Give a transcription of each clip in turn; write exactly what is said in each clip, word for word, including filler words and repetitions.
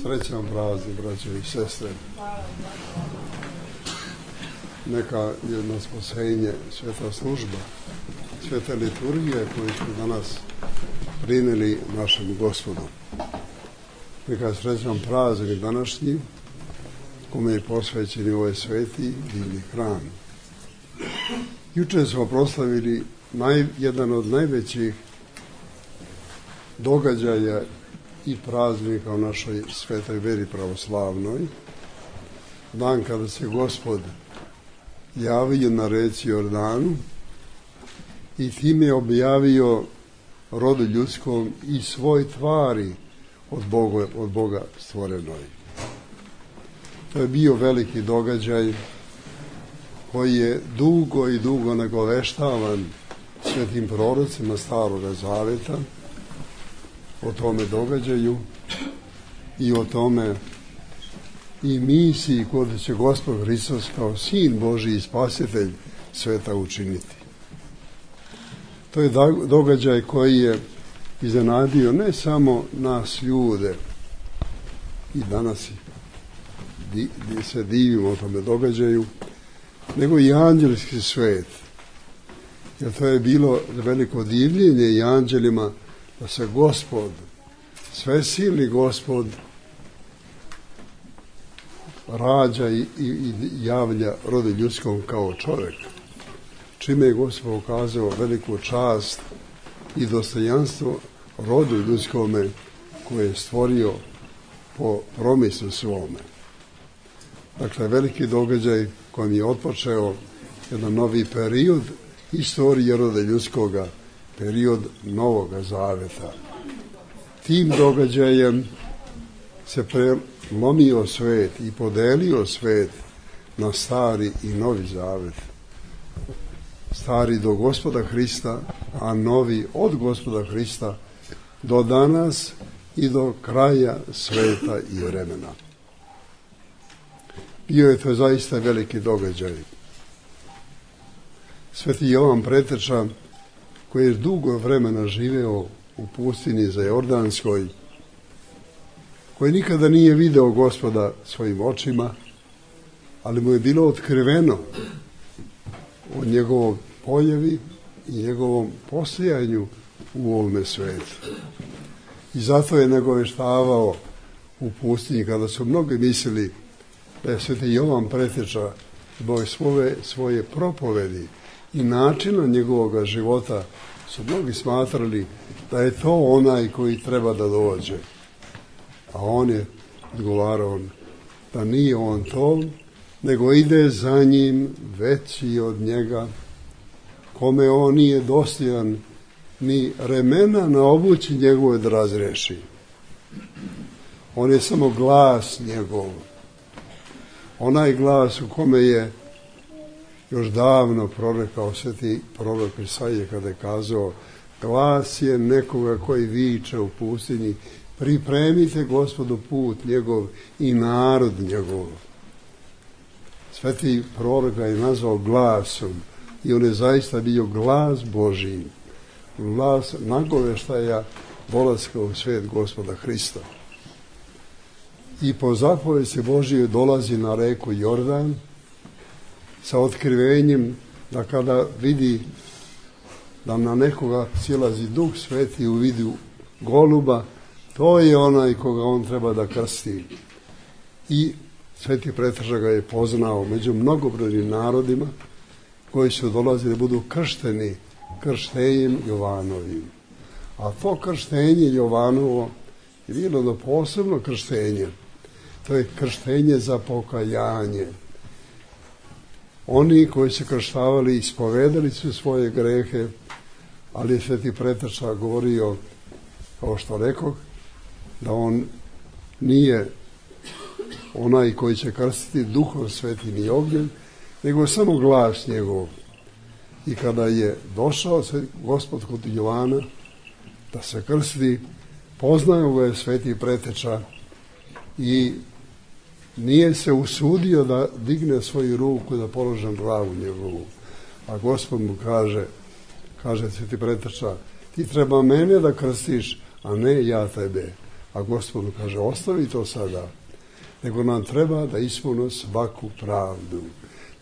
Srećan praznik, braćo i sestre. Neka je na spasenje sveta služba, svete liturgije koju smo danas prinijeli našem Gospodu. Neka je srećan praznik današnji, kome je posvećen ovaj sveti divni hram. Juče smo proslavili naj, jedan od najvećih događaja i praznika u našoj svetoj veri pravoslavnoj, dan kada se Gospod javio na reci Jordanu i time objavio rodu ljudskom i svoj tvari od Boga, od Boga stvorenoj. To je bio veliki događaj koji je dugo i dugo nagoveštavan svetim prorocima Staroga Zaveta o tome događaju i o tome i misiji koju će Gospod Hristos kao Sin Božji i Spasitelj sveta učiniti. To je događaj koji je iznenadio ne samo nas ljude, i danas di, di se divimo o tome događaju, nego i anđelski svet. Jer to je bilo veliko divljenje i anđelima da se Gospod, svesilni Gospod, rađa i, i, i javlja rodu ljudskom kao čovjek, čime je Gospod ukazao veliku čast i dostojanstvo rodu ljudskome koje je stvorio po promislu svome. Dakle, veliki događaj kojim je otpočeo jedan novi period istorije roda ljudskoga, period Novoga Zaveta. Tim događajem se prelomio svet i podelio svet na stari i novi zavet. Stari do Gospoda Hrista, a novi od Gospoda Hrista do danas i do kraja sveta i vremena. Bio je to zaista veliki događaj. Sveti Jovan Preteča, koji je dugo vremena živeo u pustinji za Jordanskoj, koji nikada nije video Gospoda svojim očima, ali mu je bilo otkriveno o njegovom pojavi i njegovom postojanju u ovome svijetu. I zato je nagoveštavao u pustinji, kada su mnogi mislili da je sveti Jovan Preteča zbog svoje, svoje propovedi i načina njegovog života, su mnogi smatrali da je to onaj koji treba da dođe. A on je odgovarao da nije on to, nego ide za njim veći od njega, kome on nije dostojan ni remena na obući njegove da razreši. On je samo glas njegov. Onaj glas u kome je još davno prorekao sveti prorok Isaija kada je kazao: glas je nekoga koji viče u pustinji, pripremite Gospodu put njegov i narod njegov. Sveti prorok ga je nazvao glasom i on je zaista bio glas Božji, glas nagoveštaja dolaska u svijet Gospoda Hrista. I po zapovesti Božije dolazi na reku Jordan sa otkrivenjem da kada vidi da na nekoga silazi Duh Sveti u vidu goluba, to je onaj koga on treba da krsti. I sveti Pretraža ga je poznao među mnogobrojnim narodima koji su dolazili da budu kršteni krštenjem Jovanovim. A to krštenje Jovanovo je bilo do posebno krštenje. To je krštenje za pokajanje. Oni koji se krštavali ispovedali su svoje grehe, ali je sveti Pretraža govorio, kao što rekoh, da on nije onaj koji će krstiti Duhom Svetim i ognjem, nego samo glas njegov. I kada je došao Gospod kod Jovana da se krsti, poznao ga je sveti Preteča i nije se usudio da digne svoju ruku da položi glavu njegovu. A Gospod mu kaže, kaže sveti Preteča, ti treba mene da krstiš, a ne ja tebe. a Gospodu kaže ostavi to sada, nego nam treba da ispunimo svaku pravdu.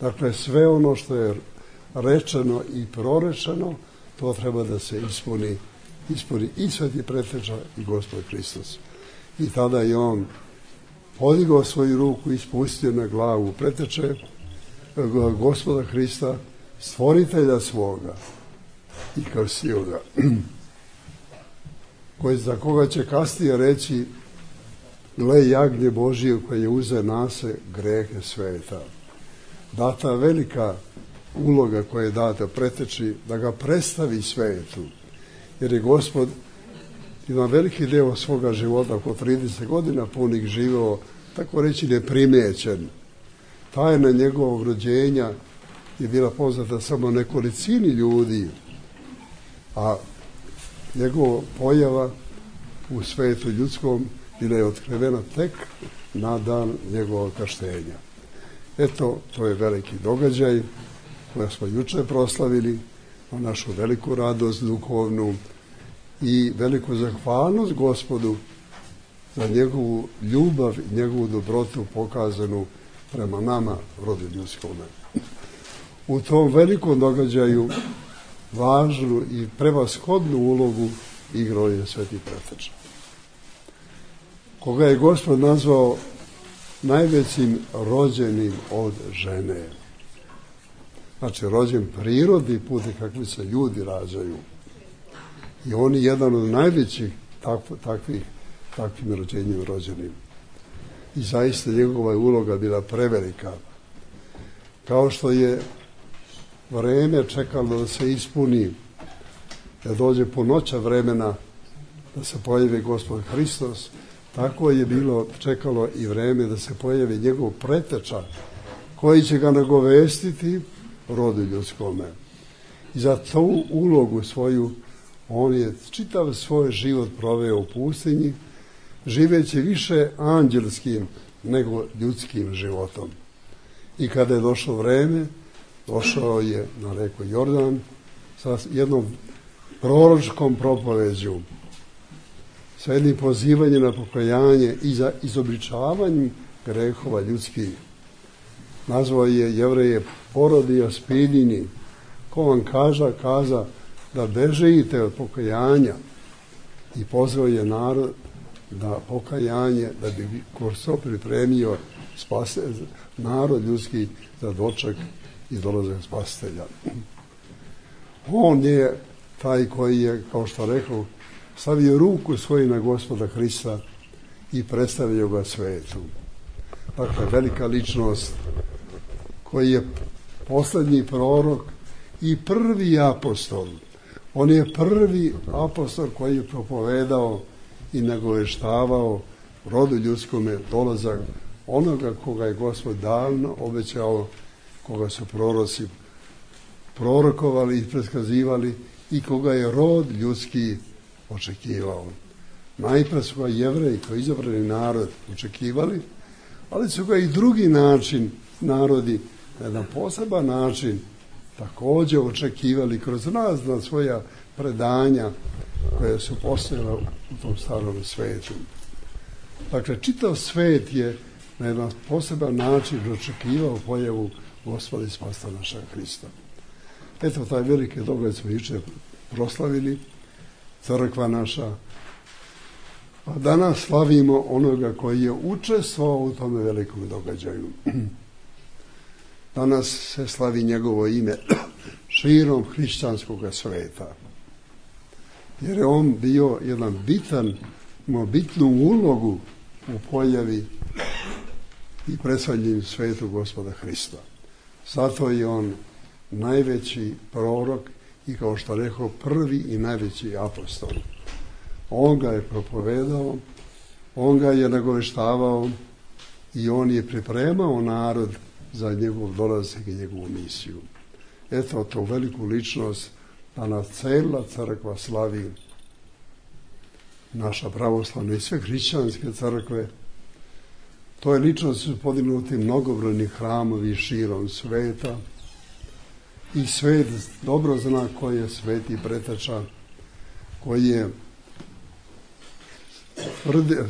Dakle, sve ono što je rečeno i prorečeno, to treba da se ispuni, ispuni i Sveti Preteča i Gospod Hristos. I tada je on podigao svoju ruku i spustio na glavu Preteče, Gospoda Hrista, stvoritelja svoga, i krstio ga. Koji, za koga će kasnije reći, gle jagnje Božije koje je uzeo na se grehe sveta. Data velika uloga koja je data Preteči, da ga predstavi svetu. Jer je Gospod ima veliki deo svoga života, oko trideset godina punih živeo, tako reći, neprimećen. Tajna njegovog rođenja je bila poznata samo nekolicini ljudi, a njegova pojava u svetu ljudskom bila je otkrivena tek na dan njegovog krštenja. Eto, to je veliki događaj koja smo juče proslavili, na našu veliku radost duhovnu i veliku zahvalnost Gospodu za njegovu ljubav i njegovu dobrotu pokazanu prema nama, rodu ljudskome. U tom velikom događaju važnu i prevashodnu ulogu igrao je Sveti Preteča, koga je Gospod nazvao najvećim rođenim od žene. Znači, rođen prirodi putem kakvi se ljudi rađaju. I on je jedan od najvećih takv, takvih, takvim rođenjem rođenim. I zaista njegova je uloga bila prevelika. Kao što je vreme čekalo da se ispuni, da dođe punoća vremena, da se pojavi Gospod Hristos, tako je bilo čekalo i vreme da se pojavi njegov Preteča, koji će ga nagovestiti rodu ljudskome. I za tu ulogu svoju on je čitav svoj život proveo u pustinji, živeći više anđelskim nego ljudskim životom. I kada je došlo vreme, došao je na reku Jordan sa jednom proročkom propoveđu, sa jednim pozivanjem na pokajanje i za izobličavanjem grehova ljudskih. Nazvao je Jevreje porodio spidini, ko vam kaža, kaza da bežite od pokajanja, i pozvao je narod da pokajanje, da bi Korso pripremio spase, narod ljudski za doček i dolazak spasitelja. On je taj koji je, kao što rekao, stavio ruku svoju na Gospoda Hrista i predstavio ga svetu. Dakle, velika ličnost koji je posljednji prorok i prvi apostol. On je prvi apostol koji je propovedao i nagoveštavao rodu ljudskome dolazak onoga koga je Gospod davno obećao, koga su proroci prorokovali i predskazivali i koga je rod ljudski očekivao. Najprije su ga Jevreji, koji izabrani narod, očekivali, ali su ga i drugi način narodi na jedan poseban način također očekivali kroz razna svoja predanja koje su postojala u tom starom svetu. Dakle, čitav svet je na jedan poseban način očekivao pojavu Gospoda i spasitelja našeg Hrista. Eto, taj veliki događaj smo jučer proslavili, crkva naša, a danas slavimo onoga koji je učestvovao u tome velikom događaju. Danas se slavi njegovo ime širom hrišćanskog sveta. Jer je on bio jedan bitan, imao bitnu ulogu u pojavi i predstavljanju svetu Gospoda Hrista. Zato je on najveći prorok i, kao što rekao, prvi i najveći apostol. On ga je propovedao, on ga je nagoveštavao i on je pripremao narod za njegov dolazak i njegovu misiju. Eto, to veliku ličnost danas cela crkva slavi, naša pravoslavna i sve hrišćanske crkve. To je ličnost su podignuti mnogobrojni hramovi širom sveta i svet dobro zna koji je Sveti Preteča, koji je tvrde,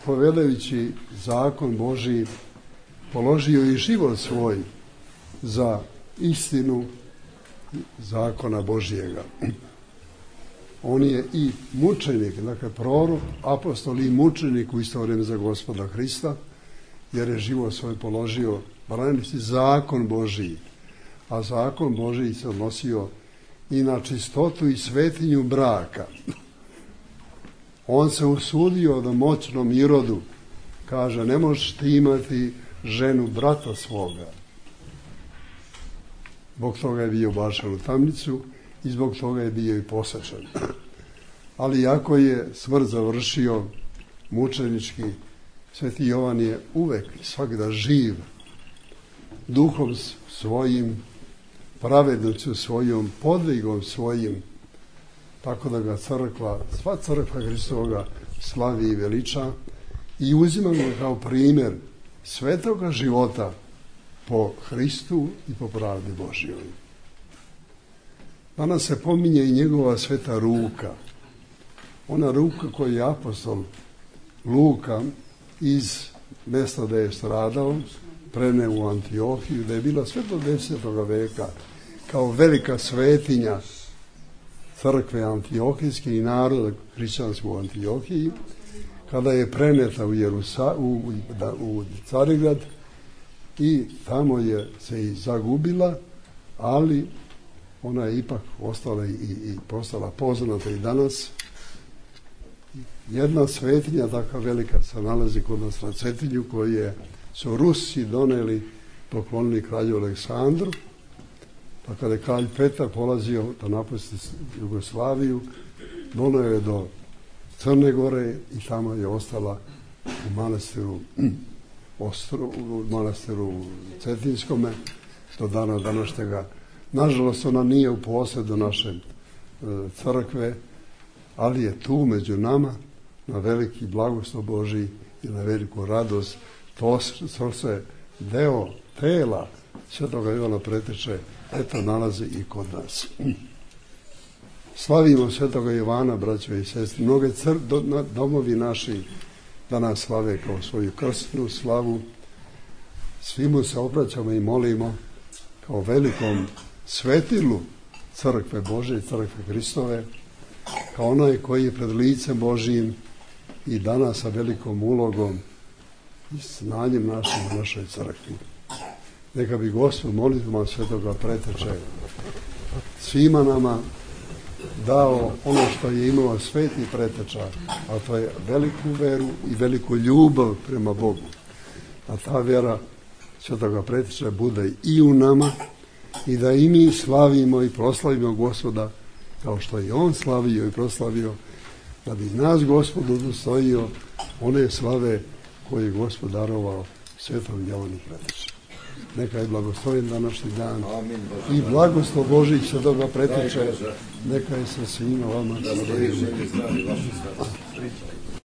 povedajući zakon Božiji, položio i život svoj za istinu zakona Božijega. On je i mučenik, dakle prorok, apostol i mučenik u isto vrijeme za Gospoda Hrista, jer je život svoj položio braniti zakon Božiji. A zakon Božiji se odnosio i na čistotu i svetinju braka. On se usudio da moćnom Irodu kaže, ne možeš ti imati ženu brata svoga. Zbog toga je bio bačen u tamnicu i zbog toga je bio i posečen. Ali iako je smrt završio mučenički, Sveti Jovan je uvek svakda živ, duhom svojim, pravednoću svojom, podvigom svojim, tako da ga crkva, sva crkva Hristovoga slavi i veliča i uzima ga kao primjer svetoga života po Hristu i po pravdi Božjoj. Danas se pominje i njegova sveta ruka. Ona ruka koju je apostol Luka iz mjesta da je stradao preneo u Antiohiju, da je bila sve do desetoga veka kao velika svetinja crkve Antiohijske i naroda hrišćanskog u Antiohiji, kada je preneta u, Jerusa, u, da, u Carigrad i tamo je se i zagubila, ali ona je ipak ostala i, i postala poznata i danas. Jedna svetinja taka velika se nalazi kod nas na Cetinju, koju je, su Rusi doneli, poklonili kralju Aleksandru. Pa kada je kralj Petar polazio da napusti Jugoslaviju, donio je do Crne Gore i tamo je ostala u manastiru, Ostro, u manastiru Cetinskome do dana današnjega. Nažalost, ona nije u posjedu naše e, crkve, ali je tu među nama na veliki blagoslov Božji i na veliku radost. To, to se deo tela Svetoga Ivana Preteče eto nalazi i kod nas. Slavimo Svetoga Ivana, braćo i sestri. Mnoge cr, do, domovi naši danas slave kao svoju krstnu slavu. Svi mu se obraćamo i molimo kao velikom svetilu crkve Božje, crkve Hristove, kao onaj koji je pred licem Božjim i danas sa velikom ulogom i znanjem našim u našoj crkvi. Neka bi Gospod molitvama Svetoga Preteče svima nama dao ono što je imao Sveti Preteča, a to je veliku veru i veliku ljubav prema Bogu. A ta vjera Svetoga Preteče bude i u nama i da i mi slavimo i proslavimo Gospoda kao što je on slavio i proslavio, da bi nas Gospod udostojio one slave koje je Gospod darovao Svetom Jovanu Preteče. Neka je blagoslovljen današnji dan. Amin. I blagoslov Božji Svetoga Preteče neka je sa svima vama.